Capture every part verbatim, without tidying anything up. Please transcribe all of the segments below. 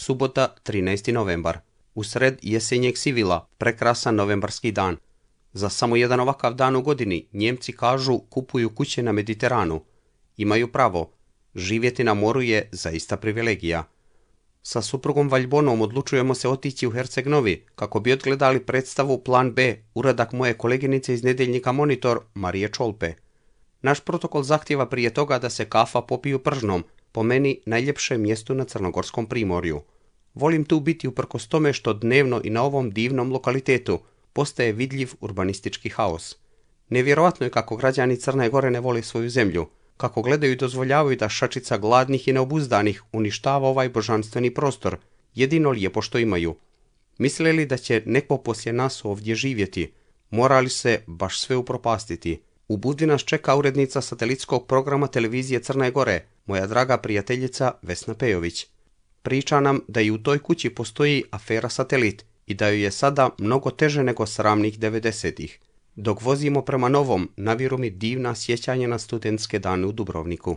Subota, trinaesti novembar. Usred jesenjeg sivila, prekrasan novembarski dan. Za samo jedan ovakav dan u godini Njemci kažu kupuju kuće na Mediteranu. Imaju pravo. Živjeti na moru je zaista privilegija. Sa suprugom Valjbonom odlučujemo se otići u Herceg-Novi kako bi odgledali predstavu Plan B, uradak moje koleginice iz nedjeljnika Monitor, Marije Čolpe. Naš protokol zahtjeva prije toga da se kafa popiju pržnom, po meni najljepše mjestu na Crnogorskom primorju. Volim tu biti uprkos tome što dnevno i na ovom divnom lokalitetu postaje vidljiv urbanistički haos. Nevjerojatno je kako građani Crne Gore ne vole svoju zemlju, kako gledaju i dozvoljavaju da šačica gladnih i neobuzdanih uništava ovaj božanstveni prostor, jedino lijepo što imaju. Misle li da će neko poslije nas ovdje živjeti? Mora li se baš sve upropastiti? U Budvi nas čeka urednica satelitskog programa televizije Crne Gore, moja draga prijateljica Vesna Pejović. Priča nam da i u toj kući postoji afera Satelit i da joj je sada mnogo teže nego sramnih devedesetih. Dok vozimo prema Novom, naviru mi divna sjećanja na studentske dane u Dubrovniku.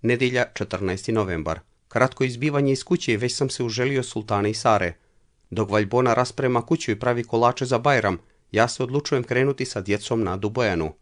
Nedjelja, četrnaesti novembar. Kratko izbivanje iz kuće, već sam se uželio sultane i Sare. Dok Valjbona rasprema kuću i pravi kolače za Bajram, ja se odlučujem krenuti sa djecom na Adu Bojanu.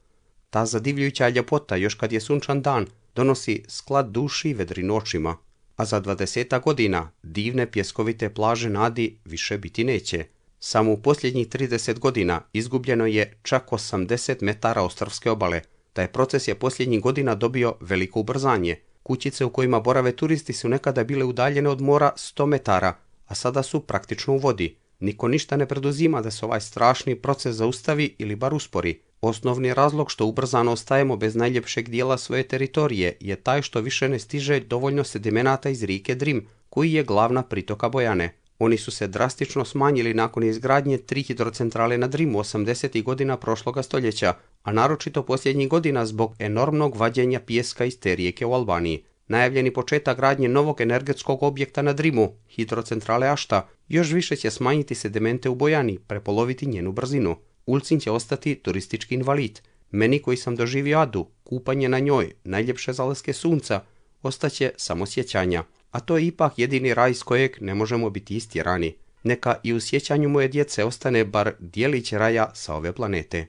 Ta zadivljujuća ljepota, još kad je sunčan dan, donosi sklad duši i vedrinu očima. A za dvadesetak godina divne pjeskovite plaže na Adi više biti neće. Samo u posljednjih trideset godina izgubljeno je čak osamdeset metara ostrvske obale. Taj proces je posljednjih godina dobio veliko ubrzanje. Kućice u kojima borave turisti su nekada bile udaljene od mora sto metara, a sada su praktično u vodi. Niko ništa ne preduzima da se ovaj strašni proces zaustavi ili bar uspori. Osnovni razlog što ubrzano ostajemo bez najljepšeg dijela svoje teritorije je taj što više ne stiže dovoljno sedimenata iz rijeke Drim, koji je glavna pritoka Bojane. Oni su se drastično smanjili nakon izgradnje tri hidrocentrale na Drimu osamdesetih godina prošloga stoljeća, a naročito posljednjih godina zbog enormnog vađenja pijeska iz te rijeke u Albaniji. Najavljeni početak gradnje novog energetskog objekta na Drimu, hidrocentrale Ašta, još više će smanjiti sedimente u Bojani, prepoloviti njenu brzinu. Ulcinj će ostati turistički invalid. Meni koji sam doživio Adu, kupanje na njoj, najljepše zalaske sunca, ostaće samo sjećanja. A to je ipak jedini raj iz kojeg ne možemo biti istjerani. Neka i u sjećanju moje djece ostane bar dijelić raja sa ove planete.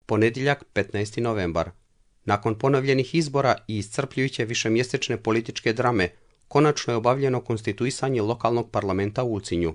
Ponedjeljak, petnaesti novembar. Nakon ponovljenih izbora i iscrpljujuće višemjesečne političke drame, konačno je obavljeno konstituisanje lokalnog parlamenta u Ulcinju.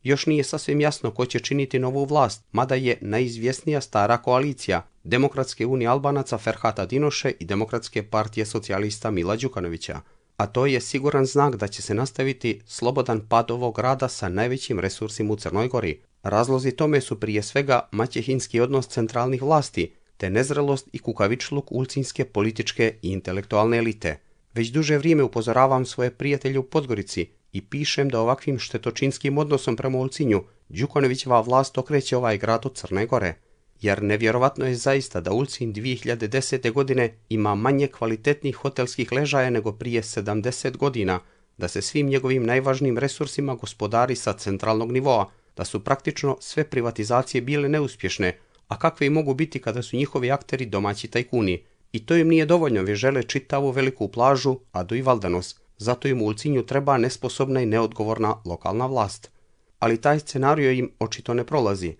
Još nije sasvim jasno ko će činiti novu vlast, mada je najizvjesnija stara koalicija Demokratske unije Albanaca Ferhata Dinoše i Demokratske partije socijalista Mila Đukanovića. A to je siguran znak da će se nastaviti slobodan pad ovog grada sa najvećim resursima u Crnoj Gori. Razlozi tome su prije svega maćehinski odnos centralnih vlasti, te nezrelost i kukavičluk ulcinjske političke i intelektualne elite. Već duže vrijeme upozoravam svoje prijatelje u Podgorici i pišem da ovakvim štetočinskim odnosom prema Ulcinju Đukanovićeva vlast okreće ovaj grad od Crne Gore. Jer nevjerovatno je zaista da Ulcinj dvije hiljade desete. godine ima manje kvalitetnih hotelskih ležaja nego prije sedamdeset godina, da se svim njegovim najvažnijim resursima gospodari sa centralnog nivoa, da su praktično sve privatizacije bile neuspješne, a kakve i mogu biti kada su njihovi akteri domaći tajkuni. I to im nije dovoljno, već žele čitavu veliku plažu, Adu i Valdanos. Zato im u Ulcinju treba nesposobna i neodgovorna lokalna vlast. Ali taj scenario im očito ne prolazi.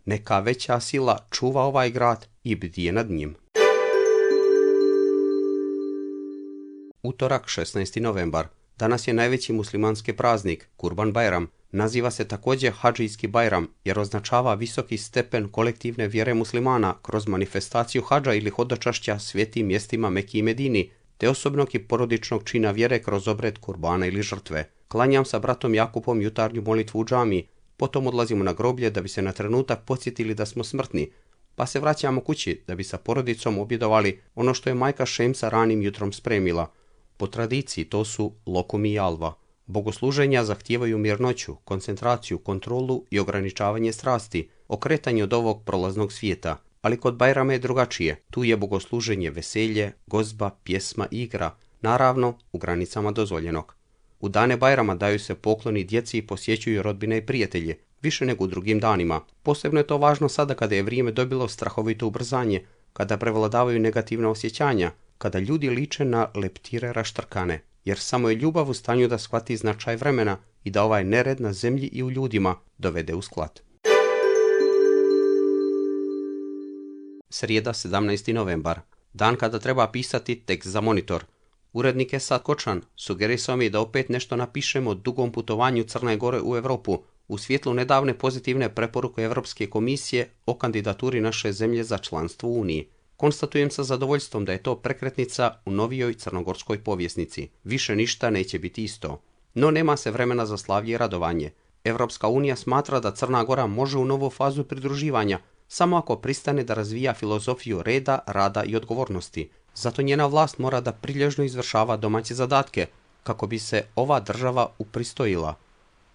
Neka veća sila čuva ovaj grad i bdije nad njim. Utorak, šesnaesti novembar. Danas je najveći muslimanski praznik, Kurban Bajram. Naziva se također Hadžijski Bajram jer označava visoki stepen kolektivne vjere muslimana kroz manifestaciju hadža ili hodočašća svijetim mjestima Meki i Medini, te osobnog i porodičnog čina vjere kroz obred kurbana ili žrtve. Klanjam sa bratom Jakupom jutarnju molitvu u džamiji, potom odlazimo na groblje da bi se na trenutak podsjetili da smo smrtni, pa se vraćamo kući da bi sa porodicom objedovali ono što je majka Šemsa ranim jutrom spremila. Po tradiciji to su lokum i jalva. Bogosluženja zahtijevaju mirnoću, koncentraciju, kontrolu i ograničavanje strasti, okretanje od ovog prolaznog svijeta. Ali kod Bajrama je drugačije. Tu je bogosluženje veselje, gozba, pjesma i igra, naravno u granicama dozvoljenog. U dane Bajrama daju se pokloni djeci i posjećuju rodbine i prijatelje, više nego u drugim danima. Posebno je to važno sada kada je vrijeme dobilo strahovito ubrzanje, kada prevladavaju negativna osjećanja, kada ljudi liče na leptire raštrkane, jer samo je ljubav u stanju da shvati značaj vremena i da ovaj nered na zemlji i u ljudima dovede u sklad. Srijeda, sedamnaesti novembar. Dan kada treba pisati tekst za monitor. Urednik Esad Kočan sugerisao mi da opet nešto napišemo o dugom putovanju Crne Gore u Europu u svjetlu nedavne pozitivne preporuke Europske komisije o kandidaturi naše zemlje za članstvo u Uniji. Konstatujem sa zadovoljstvom da je to prekretnica u novijoj crnogorskoj povjesnici. Više ništa neće biti isto. No nema se vremena za slavlje i radovanje. Europska unija smatra da Crna Gora može u novu fazu pridruživanja samo ako pristane da razvija filozofiju reda, rada i odgovornosti. Zato njena vlast mora da prilježno izvršava domaće zadatke, kako bi se ova država upristojila.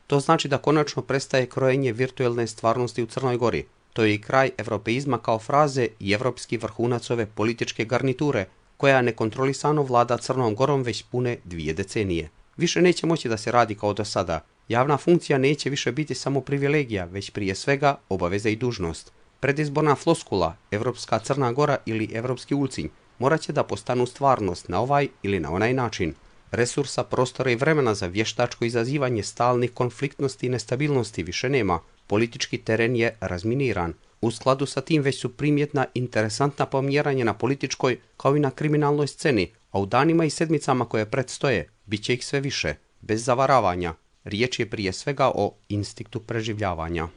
To znači da konačno prestaje krojenje virtuelne stvarnosti u Crnoj Gori. To je i kraj evropeizma kao fraze i evropski vrhunac ove političke garniture, koja nekontrolisano vlada Crnom Gorom već pune dvije decenije. Više neće moći da se radi kao do sada. Javna funkcija neće više biti samo privilegija, već prije svega obaveza i dužnost. Predizborna floskula, Evropska Crna Gora ili Evropski Ulcinj, morat će da postanu stvarnost na ovaj ili na onaj način. Resursa, prostora i vremena za vještačko izazivanje stalnih konfliktnosti i nestabilnosti više nema. Politički teren je razminiran. U skladu sa tim već su primjetna interesantna pomjeranja na političkoj kao i na kriminalnoj sceni, a u danima i sedmicama koje predstoje bit će ih sve više. Bez zavaravanja, riječ je prije svega o instinktu preživljavanja.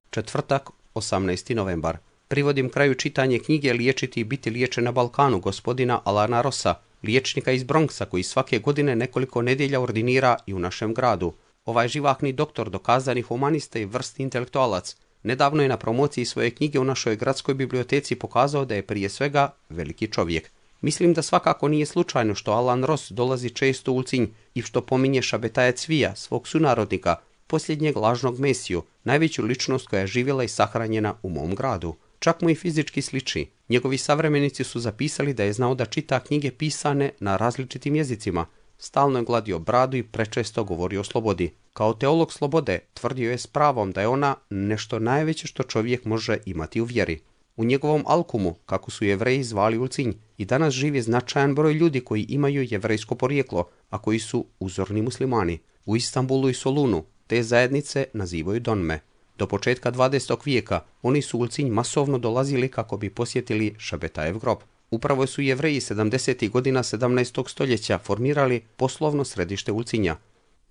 Četvrtak, osamnaesti novembar. Privodim kraju čitanje knjige Liječiti i biti liječen na Balkanu gospodina Alana Rossa, liječnika iz Bronxa koji svake godine nekoliko nedjelja ordinira i u našem gradu. Ovaj živahni doktor, dokazani humanista i vrsti intelektualac, nedavno je na promociji svoje knjige u našoj gradskoj biblioteci pokazao da je prije svega veliki čovjek. Mislim da svakako nije slučajno što Alan Ross dolazi često u Ulcinj i što pominje Šabetaja Cvija, svog sunarodnika, posljednjeg lažnog mesiju, najveću ličnost koja je živjela i sahranjena u mom gradu. Čak mu i fizički sliči. Njegovi savremenici su zapisali da je znao da čita knjige pisane na različitim jezicima. Stalno je gladio bradu i prečesto govorio o slobodi. Kao teolog slobode tvrdio je s pravom da je ona nešto najveće što čovjek može imati u vjeri. U njegovom Alkumu, kako su Jevreji zvali Ulcinj, i danas živi značajan broj ljudi koji imaju jevrejsko porijeklo, a koji su uzorni muslimani. U Istanbulu i Solunu te zajednice nazivaju Donme. Do početka dvadesetog vijeka oni su u Ulcinj masovno dolazili kako bi posjetili Šabetajev grob. Upravo su Jevreji sedamdesetih godina sedamnaestog stoljeća formirali poslovno središte Ulcinja.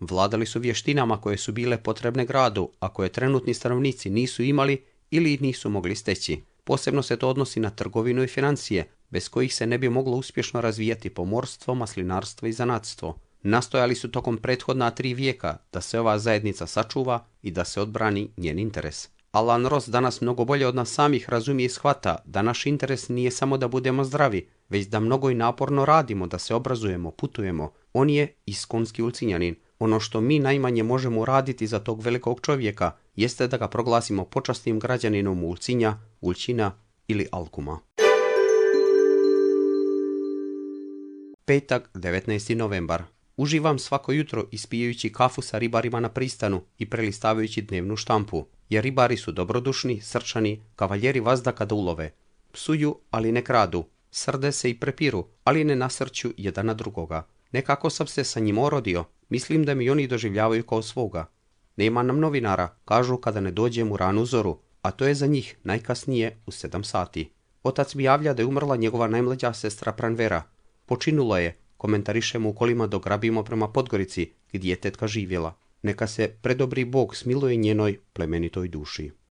Vladali su vještinama koje su bile potrebne gradu, a koje trenutni stanovnici nisu imali ili ih nisu mogli steći. Posebno se to odnosi na trgovinu i financije, bez kojih se ne bi moglo uspješno razvijati pomorstvo, maslinarstvo i zanatstvo. Nastojali su tokom prethodna tri vijeka da se ova zajednica sačuva i da se odbrani njen interes. Alan Ross danas mnogo bolje od nas samih razumije i shvata da naš interes nije samo da budemo zdravi, već da mnogo i naporno radimo, da se obrazujemo, putujemo. On je iskonski Ulcinjanin. Ono što mi najmanje možemo uraditi za tog velikog čovjeka jeste da ga proglasimo počasnim građaninom Ulcinja, Ulćina ili Alkuma. Petak, devetnaesti novembar. Uživam svako jutro ispijajući kafu sa ribarima na pristanu i prelistavajući dnevnu štampu, jer ribari su dobrodušni, srčani, kavaljeri vazda kada ulove. Psuju, ali ne kradu, srde se i prepiru, ali ne nasrću jedan na drugoga. Nekako sam se sa njim orodio, mislim da mi oni doživljavaju kao svoga. Nema nam novinara, kažu kada ne dođem u ranu zoru, a to je za njih najkasnije u sedam sati. Otac mi javlja da je umrla njegova najmlađa sestra Pranvera. Počinula je, komentarišemo u kolima dok grabimo prema Podgorici, gdje je tetka živjela. Neka se predobri Bog smiluje njenoj plemenitoj duši.